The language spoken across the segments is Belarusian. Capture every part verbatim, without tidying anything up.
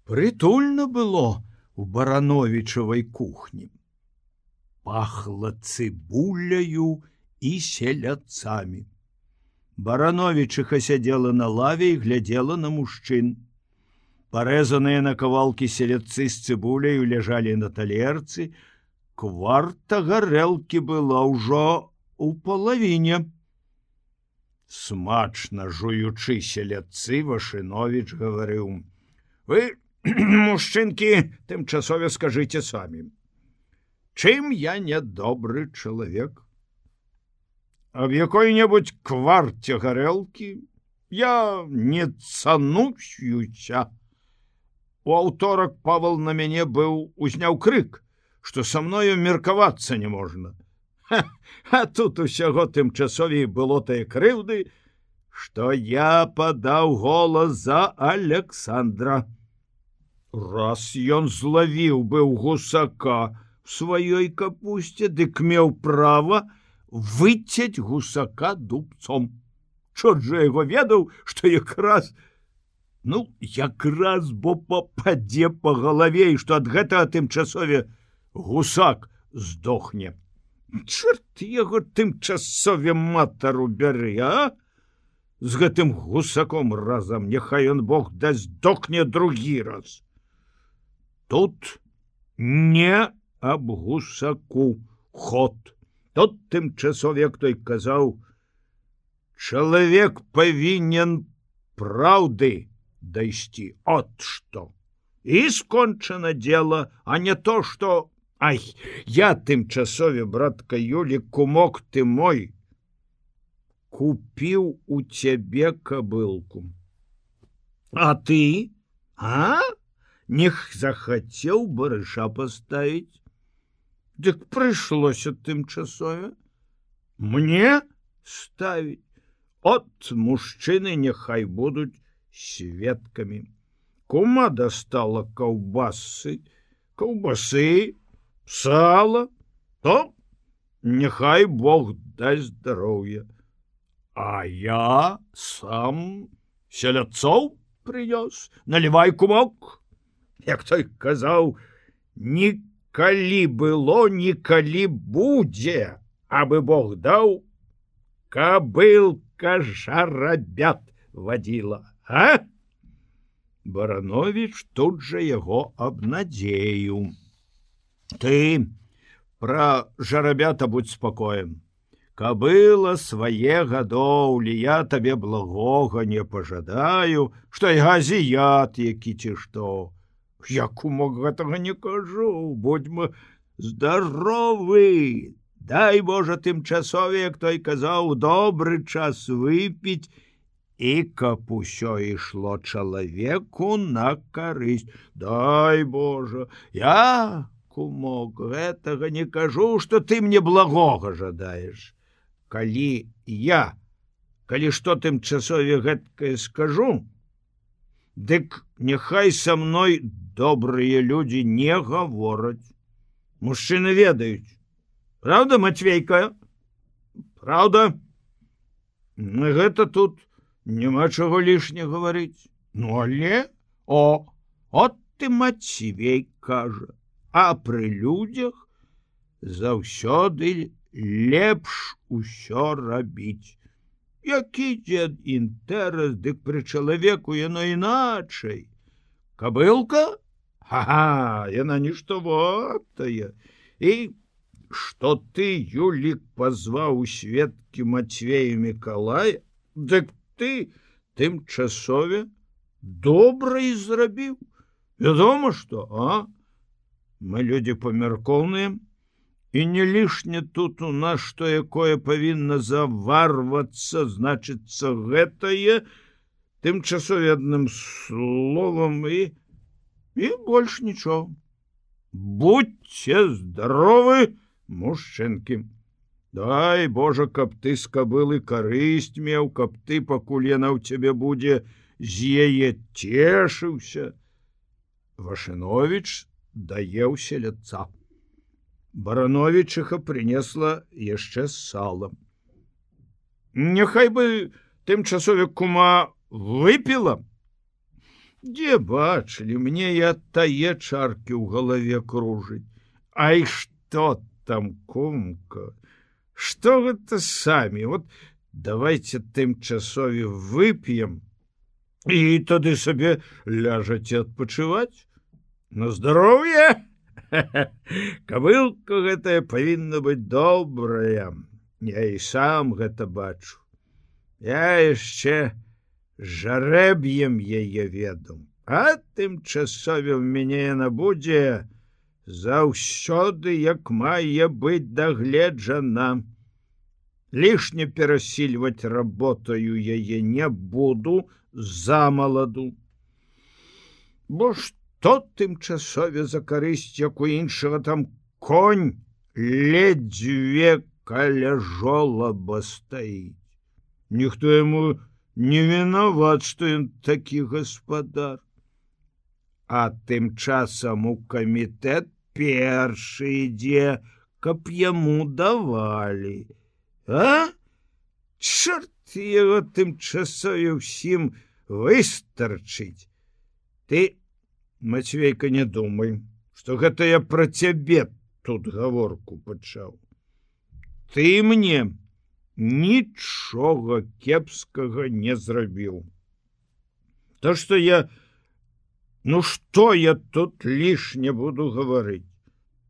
Прытульна было у Барановічавай кухні. Пахла цыбуляю і селядцамі. Барановічыха сядзела на лаве і глядзела на мужчын. Парэзаныя на кавалкі селядцы з цыбуляю ляжалі на талерцы. Кварта гарэлкі была ўжо у палавіне. Смачна жуючы селядцы, Вашыновіч гаварыў: «Вы, мужчынкі, тымчасове скажыце самі, чым я нядобры чалавек? Аб якой-небудзь кварце гарэлкі я не цануюся. У аўторак Павал на мяне быў узняў крык, што са мною меркавацца не можна. Ха, а тут усяго тымчасовей было тае крыўды, што я падаў голас за Александра. Раз ён злавіў быў гусака в сваёй капусце, дык меў права выцяць гусака дубцом. Чорт жа яго ведаў, што якраз, ну, якраз бо пападзе па галаве, і што ад гэтага тымчасове гусак здохне. Чорт яго тымчасове матару бяры, а? З гэтым гусаком разам, няхай ён Бог да здохне другі раз. Тут не аб гусаку ход. Тут тымчасове, як той казаў, чалавек павінен праўды дайсці. От што. І скончана дело, а не то, што... Ай, я тымчасове, братка Юлі, кумок ты мой, купіў у цябе кабылку. А ты? А? Нех захацеў барыша паставіць. Дык прыйшлося тымчасове мне ставіць. От мужчыны няхай будуць сведкамі. Кума дастала каўбасы, каўбасы, сала, то няхай Бог дасць здароўя. А я сам селядцоў прынёс. Налівай, кумок. Як той казаў, ні калі было, нікалі будзе, абы Бог даў, кабылка жарабят вадзіла, а? Барановіч тут жа яго абнадзеіў. Ты пра жарабята будь спакоем. Кабыла свае гадоўлі, я табе благога не пажадаю, што я азіят які ці што. Я, кумок, гэтага не кажу, будьма здаровы. Дай Божа тымчасове, як той казаў, добры час выпіць, і каб усё ішло чалавеку на карысць. Дай Божа, я, кумок, гэтага не кажу, што ты мне благога жадаеш. Калі я, калі што тымчасове гэткае скажу, дык няхай са мной добрыя людзі не гавораць. Мужчыны ведаюць. Правда, Матвейка? Правда? Гэта тут няма чаго лішне гаварыць. Ну, але, о, от ты Матвей кажа, а пры людзях заўсёды лепш усё рабіць. Які дзед інтэрас, дык пры чалавеку яно іначай. Кабылка? Ха-ха, яна нішто вартая. І што ты, Юлік, пазваў у сведкі Матвея Мікалая, дык ты тымчасове добра і зрабіў. Вядома, што, а? Мы людзі памяркоўныя, і не лішне тут у нас што якое павінна заварвацца, значыцца гэтае, тымчасове адным словам і, і больш нічого. Будьце здаровы, мужчынкі. Дай Божа, каб ты з кабылы карысць меў, каб ты, пакуль яна ў цябе будзе, з яе цешыўся. Вашыновіч даеў селядца. Барановічыха прынесла яшчэ сала. Няхай бы тымчасове кума выпіла. Дзе бачылі, мне і ад тае чаркі ў галаве кружыць. Ай, што там, кумка? Што гэта самі? Вот давайте тымчасове вып'ем і тады сабе ляжаце адпачываць. На здароўе! Кабылка гэтая павінна быць добрая. Я і сам гэта бачу. Я яшчэ жарэб'ем яе ведаў, а тымчасове ў мяне яна будзе заўсёды, як мае быць дагледжана. Лішне перасільваць работаю яе не буду замаладу. Бо што тымчасове за карысць, як у іншага там конь ледзьве каля жолаба стаіць. Ніхто яму не вінават, што ён такі гаспадар. А тым часам у камітэт першы ідзе, каб яму давалі. А? Чорт яго тымчасове ўсім выстарчыць. Ты, Мацвейка, не думай, што гэта я пра цябе тут гаворку пачаў. Ты мне нічога кепскага не зрабіў. То, што я... Ну, што я тут лішне буду гаварыць?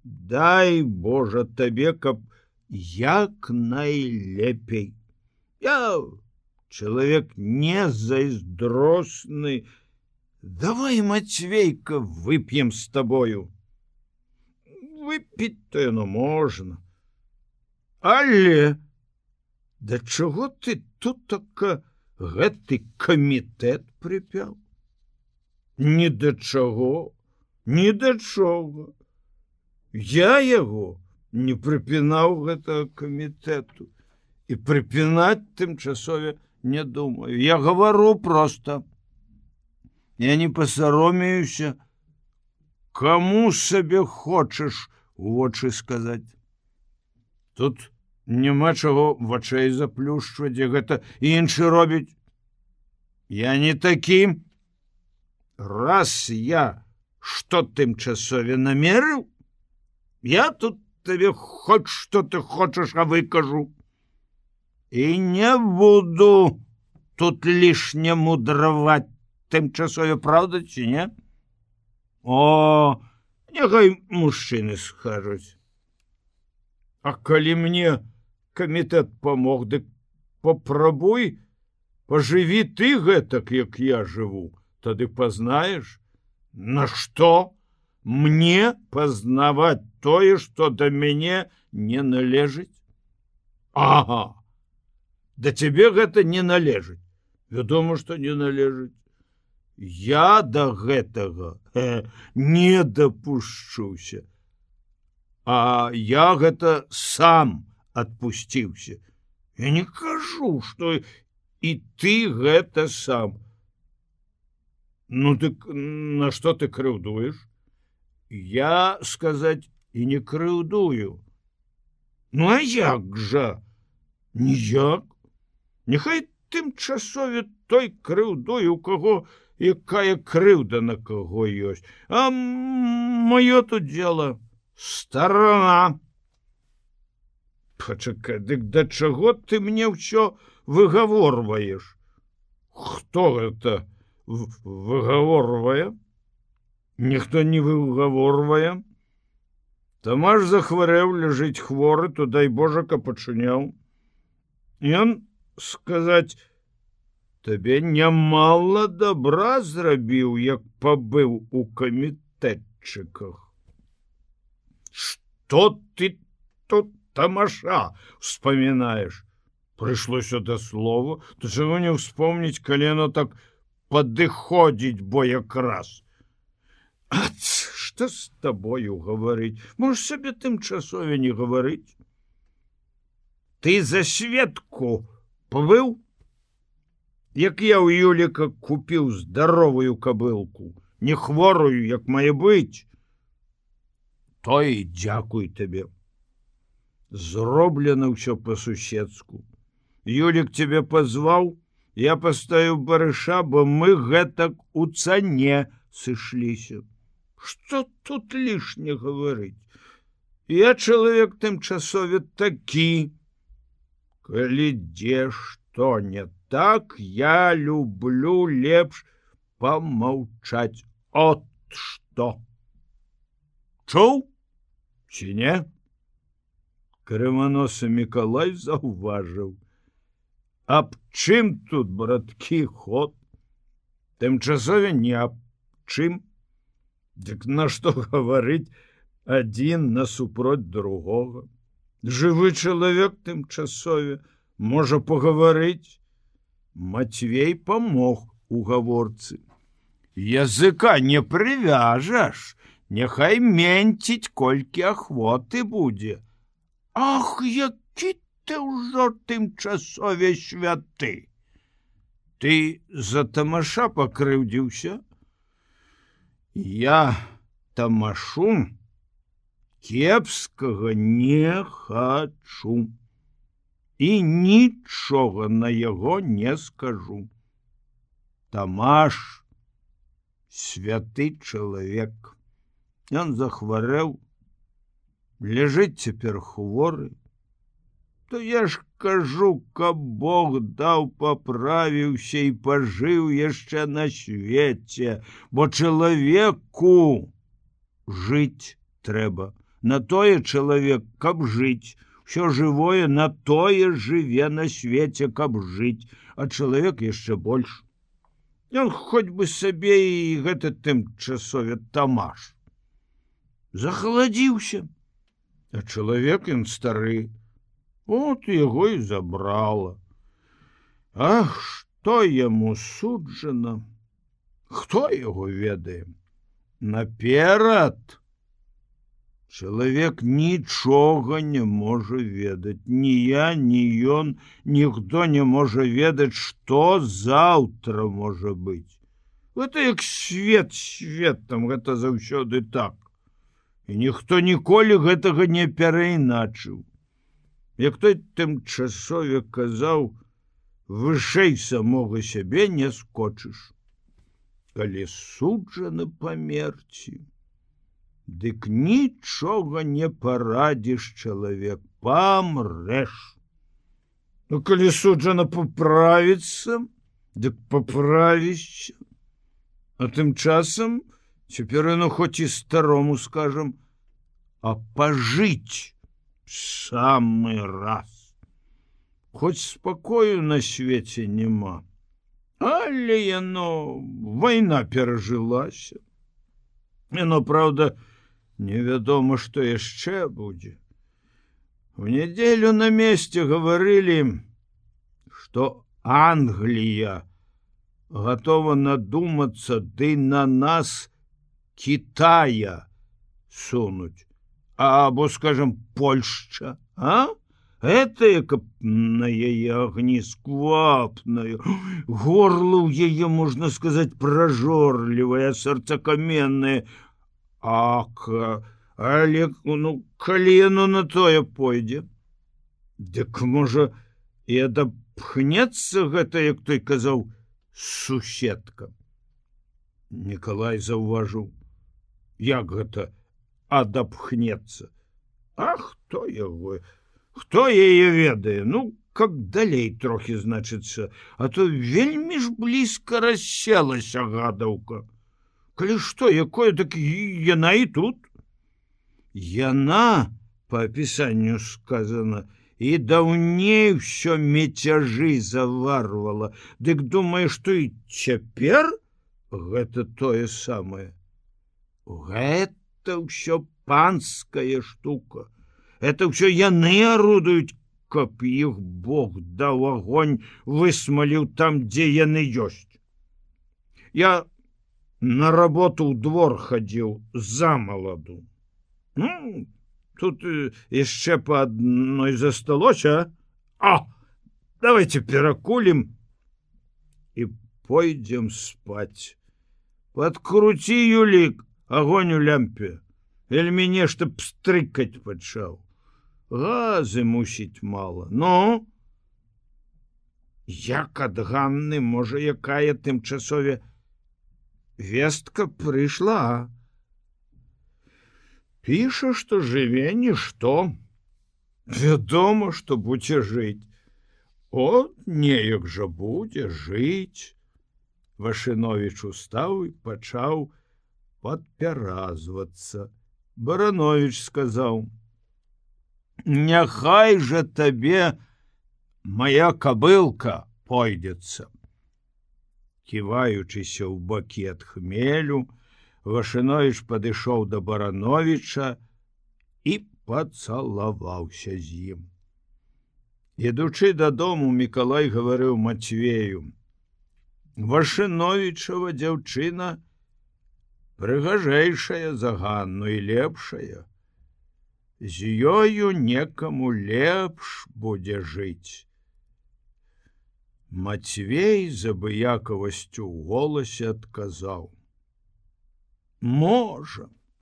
Дай, Божа, табе, каб як найлепей. Я чалавек не зайздросны. Давай, Мацвейка, вып'ем з табою. Выпіць-то яно можна. Але да чаго ты тут така гэты камітэт прыпяў? Ні да чаго, ні да чаго. Я яго не прыпінаў гэтага камітэту і прыпінаць тымчасове не думаю. Я гавару проста. Я не пасаромеюся, каму сабе хочаш у вочы сказаць. Тут няма чаго вачэй заплюшчваць, гэта іншы робіць. Я не такі. Раз я што тымчасове намерыў, я тут табе хоць што ты хочаш, а выкажу. І не буду тут лішне мудраваць тымчасове, правда ці не? О, няхай мужчыны скажуць. А калі мне камітэт памог, дык папрабуй, пажыві ты гэтак, як я жыву, тады пазнаеш, на што мне пазнаваць тое, што да мяне не належыць? Ага, да цябе гэта не належыць. Вядома, што не належыць. Я да гэтага э, не дапушчуся. А я гэта сам адпусціўся. Я не кажу, што і ты гэта сам. Ну, дык на што ты крыўдуеш? Я, сказаць, і не крыўдую. Ну, а як жа? Ніяк. Няхай тымчасове той крыўдуе, у каго якая крыўда на каго ёсць. А маё тут дело старана. Пачакай, дык да чаго ты мне ўсё выгаворваеш? Хто гэта выгаворвае? Ніхто не выгаворвае. Тамаш захварэў, ляжыць хворы, то дай Божа, каб пачыняў. Ён, сказаць, табе нямала добра зрабіў, як пабыў у камітэтчыках. Што ты тут, Тамаша, успамінаеш? Прыйшлося да слова, то чаго не ўспомніць, калі яно так падыходзіць, бо якраз. Ат, што з табою гаварыць? Можаш сабе тымчасове не гаварыць? Ты за Светку пабыў? Як я ў Юліка купіў здаровую кабылку, не хворую, як мае быць, то і дзякуй табе. Зроблена ўсё па-суседску. Юлік цябе пазваў, Я пастаю барыша, бо мы гэтак у цане сышліся. Што тут лішне гаварыць? Я чалавек тымчасове такі. Калі дзе што не так, я люблю лепш помаўчаць. От што. Чуў? Ці не? Крыманосы Мікалай заўважыў. Аб чым тут, браткі, ход? Тымчасове не аб чым. Дык на што гаварыць адзін насупроць другога? Жывы чалавек тымчасове можа пагаварыць. Мацвей памог у гаворцы. Языка не прывяжаш, няхай менціць, колькі ахвоты будзе. Ах, які ты ўжо тымчасове святы! Ты за тамаша пакрыўдзіўся? Я тамашу кепскага не хачу і нічога на яго не скажу. Тамаш святы чалавек. Ён захварэў, ляжыць цяпер хворы. То я ж кажу, каб Бог даў, паправіўся і пажыў яшчэ на свеце, бо чалавеку жыць трэба. На тое чалавек, каб жыць. Усё жывое на тое жыве на свеце, каб жыць, а чалавек яшчэ больш. Ён хоць бы сабе і гэта тымчасове тамаш. Захаладзіўся, а чалавек ён стары. От яго і забрала. Ах, што яму суджана? Хто яго ведае? Наперад чалавек нічога не можа ведаць. Ні я, ні ён, ніхто не можа ведаць, што заўтра можа быць. Гэта як свет светам, гэта заўсёды так. І ніхто ніколі гэтага не перайначыў. Як той тымчасове казаў, вышэй самога сябе не скочыш. Калі суджаны памерці, дык нічога не парадзіш, чалавек, памрэш. Ну, калі суджана паправіцца, дык паправішся. А тым часам цяпер яно хоць і старому скажам, а пажыць самы раз. Хоць спакою на свеце няма, але яно вайна перажылася. Яно, праўда, невядома, што яшчэ будзе. У нядзелю на месте гаварылі, што Англія гатова надумацца ды на нас Китая сунуць. Або, скажем, Польшча, а? Это, каб на яе агні сквапнаю, горло ў яе, можна сказаць, пражорлівае, сэрцакаменнае. Ак, але, ну, калі яно на тое пойдзе, дык, можа, і адапхнецца гэта, як той казаў, суседка. Мікалай заўважыў, як гэта адапхнецца. А хто яго? Хто яе ведае? Ну, каб далей трохі, значыцца, а то вельмі ж блізка расселася гадаўка. Калі што, якое, так яна і тут. Яна, па апісанню сказана, і даўней ўсё мецяжы заварвала. Дык думае, што і цяпер гэта тое самае. Гэта ўсё панская штука. Это ўсё яны арудуюць, каб іх Бог даў агонь, высмаліў там, дзе яны ёсць. Я на работу ў двор хадзіў за маладу. Ну, тут яшчэ па адной засталося. А, давайте перакулім і пойдзем спаць. Падкруці, Юлік, агонь у лямпе. Вельмі нешта пстрыкаць пачаў. Газы, мусіць, мала. Ну? Як ад Ганны, можа, якая тымчасове вестка прыйшла. Піша, што жыве нішто. Вядома, што будзе жыць. От неяк жа будзе жыць. Вашыновіч устаў і пачаў падпяразвацца. Барановіч сказаў: «Няхай жа табе моя кабылка пойдецца». Ківаючыся ў бакі ад хмелю, Вашыновіч падышоў да Барановіча і пацалаваўся з ім. Ідучы дадому, Мікалай гаварыў Мацвею: «Вашыновічава дзяўчына прыгажэйшая за Ганну і лепшая. З ёю некаму лепш будзе жыць». Мацвей з абыякавасцю ў голасе адказаў: «Можа,